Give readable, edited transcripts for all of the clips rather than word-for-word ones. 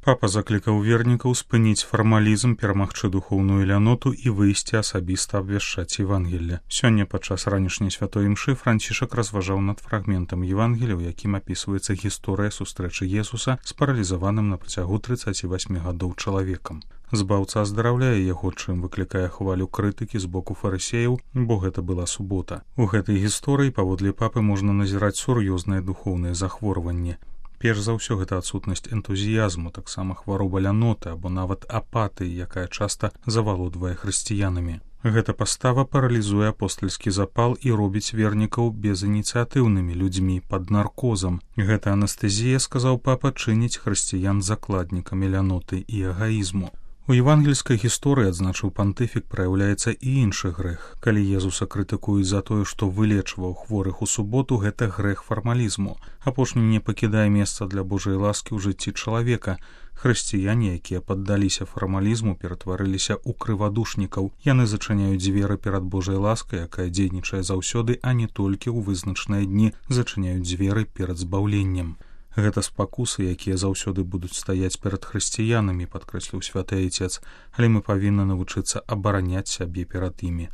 Папа заклікаў вернікаў спыніць фармалізм, перамагчы духоўную ляноту і выйсці асабіста абвяшчаць Евангелле. Сёння падчас ранішняй святой імшы Францішак разважаў над фрагментам Евангелля, у якім апісваецца гісторыя сустрэчы Jesуса з паралізаваным на працягу 38 гадоў чалавекам. Збаўца аздараўляе яго, чым выклікае хвалю крытыкі з боку фарысеяў, бо гэта была субота. У гэтай гісторыі, паводле папы, можна назіраць сур'ёзнае духоўнае захворванне. Перш за ўсё гэта адсутнасць энтузіязму, таксама хвароба ляноты або нават апатыі, якая часта завалодвае хрысціянамі. Гэта пастава паралізуе апостальскі запал і робіць вернікаў безініцыятыўнымі людзьмі пад наркозам. Гэта анестэзія, сказаў папа, чыніць хрысціян закладнікамі ляноты і эгаізму. У евангельскай гісторыі, адзначыў пантыфік, праяўляецца і іншы грэх. Калі Езуса крытыкуюць за тое, што вылечваў хворых у суботу, гэта грэх фармалізму. Апошні не пакідае месца для Божай ласкі ў жыцці чалавека. Хрысціяне, якія паддаліся фармалізму, ператварыліся ў крывадушнікаў. Яны зачыняюць дзверы перад Божай ласкай, якая дзейнічае заўсёды, а не толькі ў вызначаныя дні, зачыняюць дзверы перад збаўленнем. Гэта спакусы, якія заўсёды будуць стаяць перад хрысціянамі, падкрэсліў святы айцец, але мы павінны навучыцца абараняць сябе перад імі.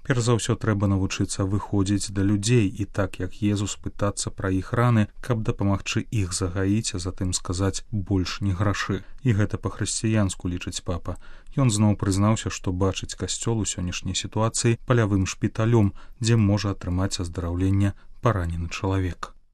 Перш за ўсё трэба навучыцца выходзіць да людзей і так, як Езус, пытацца пра іх раны, каб дапамагчы іх загаіць, а затым сказаць больш не грашы. І гэта па-хрысціянску, лічыць папа. Ён зноў прызнаўся, што бачыць касцёл у сённяшняй сітуацыі палявым шпіталём, дзе можа атрымаць аздараўленне паранены чалавек.